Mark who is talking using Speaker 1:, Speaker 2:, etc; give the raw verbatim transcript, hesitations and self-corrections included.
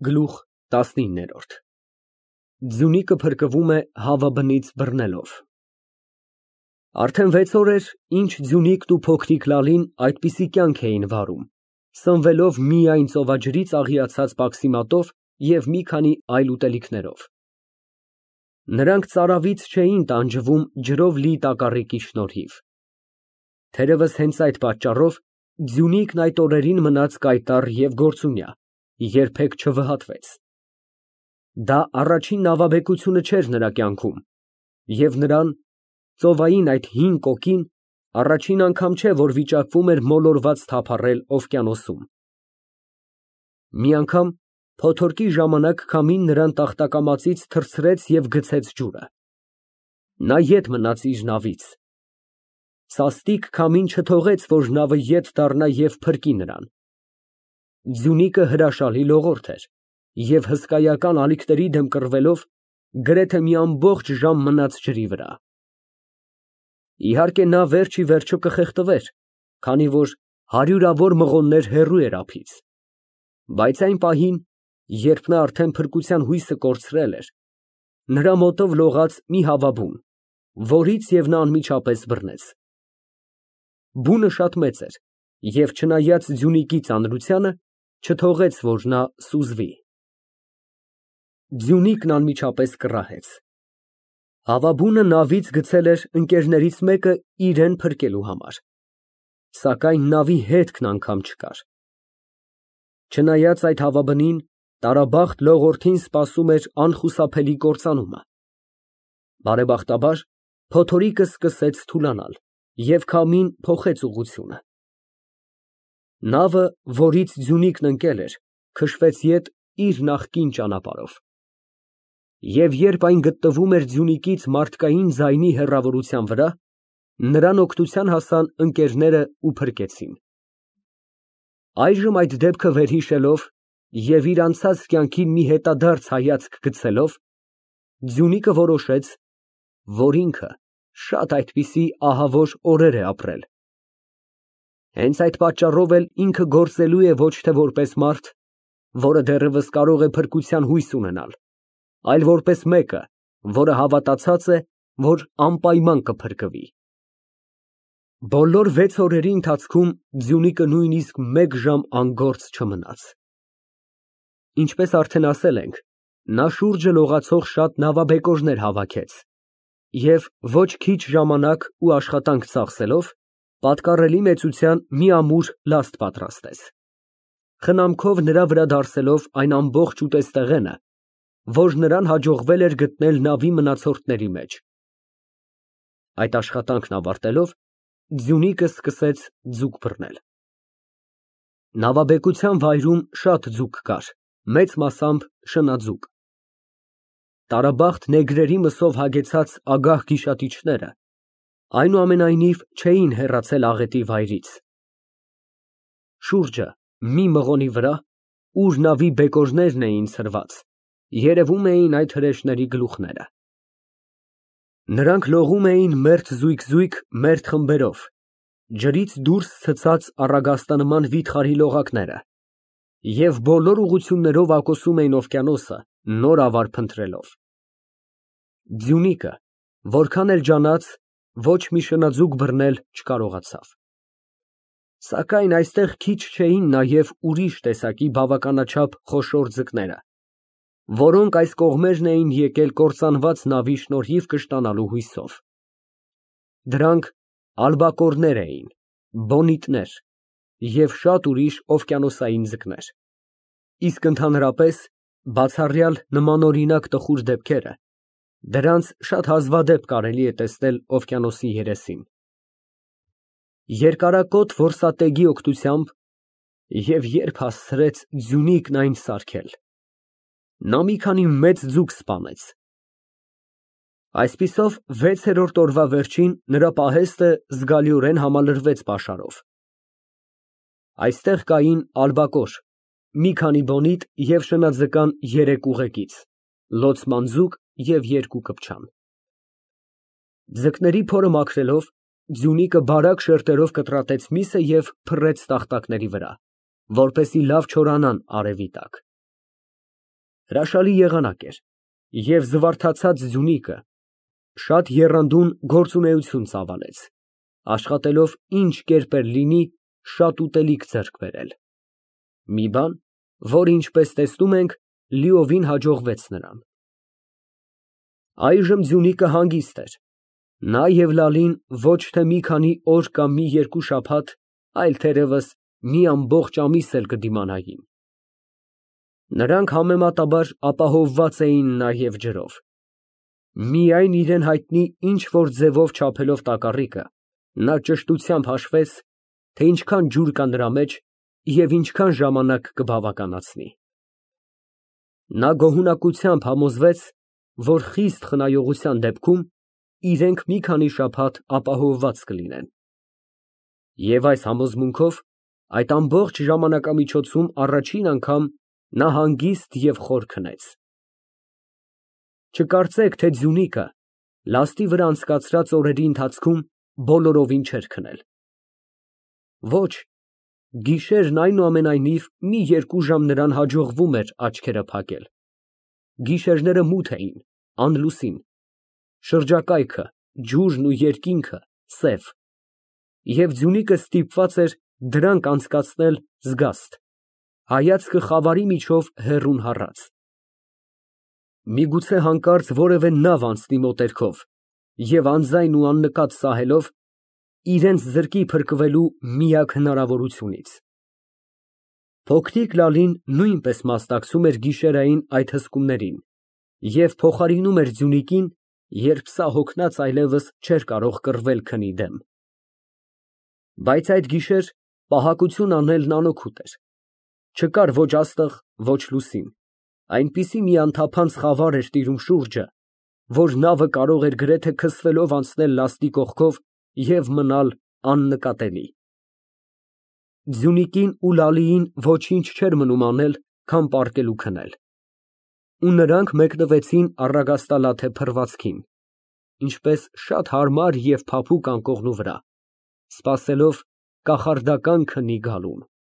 Speaker 1: Գլուխ տասնինը Ձյունիկը փրկվում է հավաբնից բռնելով Արդեն վեց օր էր, ինչ Ձյունիկն ու փոքրիկ Լալին այդպիսի կյանք էին վարում, սնվելով միայն ծովաջրից աղիացած պաքսիմատով և մի քանի այլ ուտելիքներով։ Նրանք ծարավից չէին տանջվում ջրով լի տակառիկի շնորհիվ։ Թերևս հենց այդ պատճառով Ձյունիկն այդ օրերին մնաց կայտառ և գործունյա, երբեք չվհատվեց։ Դա առաջին նավաբեկությունը չէր նրա կյանքում, և նրան, ծովային այդ հին կոկին, առաջին անգամ չէ, որ վիճակվում էր մոլորված թափառել օվկիանոսում։ Մի անգամ փոթորկի ժամանակ քամին նրան տախտակամածից թռցրեց և գցեց ջուրը։ Նա ետ մնաց իր նավից։ Սաստիկ քամին չթողեց, որ նավը ետ դառնա և փրկի նրան։ Ձյունիկը հրաշալի լողորդ էր և հսկայական ալիքների դեմ կռվելով գրեթե մի ամբողջ ժամ մնաց ջրի վրա։ Իհարկե, նա վերջ ի վերջո կխեղդվեր, քանի որ հարյուրավոր մղոններ հեռու էր ափից, բայց այն պահին, երբ նա արդեն փրկության հույսը կորցրել էր, նրա մոտով լողաց մի հավաբուն, որից և նա անմիջապես բռնեց։ Բունը շատ մեծ էր և, չնայած Ձյունիկի ծանրությանը, չթողեց, որ նա սուզվի։ Ձյունիկն անմիջապես կռահեց։ Հավաբունը նավից գցել էր ընկերներից մեկը իրան փրկելու համար, սակայն նավի հետքն անգամ չկար։ Չնայած այդ հավաբնին, տարաբախտ լողորդին սպասում էր անխուսափելի կործանումը։ Բարեբախտաբար, փոթորիկը սկսեց թուլանալ, և քամին փոխեց ուղղությունը։ Նավը, որից Ձյունիկն ընկել էր, քշվեց ետ իր նախկին ճանապարհով։ Եվ երբ այն գտնվում էր Ձյունիկից մարդկային ձայնի հեռավորության վրա, նրան օգնության հասան ընկերներն ու փրկեցին։ Այժմ այդ դեպքը վերհիշելով և իր անցած կյանքին մի հետադարձ հայացք գցելով, Ձյունիկը որոշեց, որ ինքը շատ այդպիսի ահավոր օրեր է ապրել։ Հենց այդ պատճառով էլ ինքը գործելու է ոչ թե որպես մարդ, որը դեռևս կարող է փրկության հույս ունենալ, այլ որպես մեկը, որը հավատացած է, որ անպայման կփրկվի։ Բոլոր վեց օրերի ընթացքում Ձյունիկը նույնիսկ մեկ ժամ անգործ չմնաց։ Ինչպես արդեն ասել ենք, նա շուրջը լողացող շատ նավաբեկորներ հավաքեց և ոչ քիչ ժամանակ ու աշխատանք ծախսելով, պատկառելի մեծության մի ամուր լաստ պատրաստեց, խնամքով նրա վրա դարսելով այն ամբողջ ուտեստեղենը, որ նրան հաջողվել էր գտնել նավի մնացորդների մեջ։ Այդ աշխատանքն ավարտելով, Ձյունիկը սկսեց ձուկ բռնել։ Նավաբեկության վայրում շատ ձուկ կար, մեծ մասամբ շնաձուկ։ Տարաբախտ նեգրերի մսով հագեցած ագահ գիշատիչները, այնուամենայնիվ, չէին հեռացել աղետի վայրից։ Շուրջը, մի մղոնի վրա, ուր նավի բեկորներն էին ցրված, երևում էին այդ հրեշների գլուխները։ Նրանք լողում էին մերթ֊զույգ֊զույգ մերթ խմբերով, ջրից դուրս ցցած առագաստանման վիթխարի լողակները, և բոլոր ուղղություններով ակոսում էին օվկիանոսը, նոր ավար փնտրելով։ Ձյունիկը, որքան էլ ջանաց, ոչ մի շնաձուկ բռնել չկարողացավ։ Սակայն այստեղ քիչ չէին նաև ուրիշ տեսակի բավականաչափ խոշոր ձկները, որոնք այս կողմերն էին եկել կործանված նավի շնորհիվ կշտանալու հույսով։ Դրանք ալբակորներ էին, բոնիտներ և շատ ուրիշ օվկիանոսային ձկներ, իսկ ընդհանրապես, բացառյալ նմանօրինակ տխուր դեպքերը, դրանց շատ հազվադեպ կարելի է տեսնել օվկիանոսի երեսին։ Երկարակոթ որսատեգի օգնությամբ և երբ հասցրեց Ձյունիկն այն սարքել, նա մի քանի մեծ ձուկ սպանեց։ Այսպիսով, վեցերորդ օրվա վերջին նրա պահեստը զգալիորեն համալրվեց պաշարով։ Այստեղ կային ալբակոր, մի քանի բոնիտ և շնաձկան երեք ուղեկից, լոցման ձուկ և երկու կպչան։ Ձկների փորը մաքրելով, Ձյունիկը բարակ շերտերով կտրատեց միսը և փռեց տախտակների վրա, որպեսզի լավ չորանան արևի տակ։ Հրաշալի եղանակ էր, և զվարթացած Ձյունիկը շատ եռանդուն գործունեություն ծավալեց, աշխատելով ինչ կերպ էլ լինի շատ ուտելիք ձեռք բերել, մի բան, որը, ինչպես տեսնում ենք, լիովին հաջողվեց նրան։ Այժմ Ձյունիկը հանգիստ էր, նա և Լալին ոչ թե մի քանի օր կամ մի երկու շաբաթ, այլ թերևս մի ամբողջ ամիս էլ կդիմանային։ Նրանք համեմատաբար ապահովված էին նաև ջրով։ Միայն իրան հայտնի ինչ֊որ ձևով չափելով տակառիկը, նա ճշտությամբ հաշվեց, թե ինչքան ջուր կա նրա մեջ և ինչքան ժամանակ կբավականացնի։ Նա գոհունակությամբ համոզվեց, որ խիստ խնայողության դեպքում իրենք մի քանի շաբաթ ապահովված կլինեն։ Եվ այս համոզմունքով այդ ամբողջ ժամանակամիջոցում առաջին անգամ նա հանգիստ և խոր քնեց։ Չկարծեք, թե Ձյունիկը լաստի վրա անցկացրած օրերի ընթացքում բոլորովին չէր քնել։ Ոչ, գիշերն այնուամենայնիվ մի երկու ժամ նրան հաջողվում էր աչքերը փակել։ Գիշերները մութ էին, անլուսին, շրջակայքը, ջուրն ու երկինքը սև, և Ձյունիկը ստիպված էր դրանք անցկացնել զգաստ, հայացքը խավարի միջով հեռուն հառած։ Միգուցե հանկարծ որևէ նավ անցնի մոտերքով և անձայն ու աննկատ սահելով, իրենց զրկի փրկվելու միակ հնարավորությունից։ Փոքրիկ Լալին նույնպես մասնակցում էր գիշերային այդ հսկումներին և փոխարինում էր Ձյունիկին, երբ սա հոգնած այլևս չէր կարող կռվել քնի դեմ։ Բայց այդ գիշեր պահակություն անելն անօգուտ էր։ Չկար ոչ աստղ, ոչ լուսին, այնպիսի մի անթափանց խավար էր տիրում շուրջը, որ նավը կարող էր գրեթե քսվելով անցնել լաստի կողքով և մնալ աննկատելի։ Ձյունիկին ու Լալիին ոչինչ չէր մնում անել, քան պառկել ու քնել, ու նրանք մեկնվեցին առագաստալաթե փռվածքին, ինչպես շատ հարմար և փափուկ անկողնու վրա, սպասելով կախարդական քնի գալուն։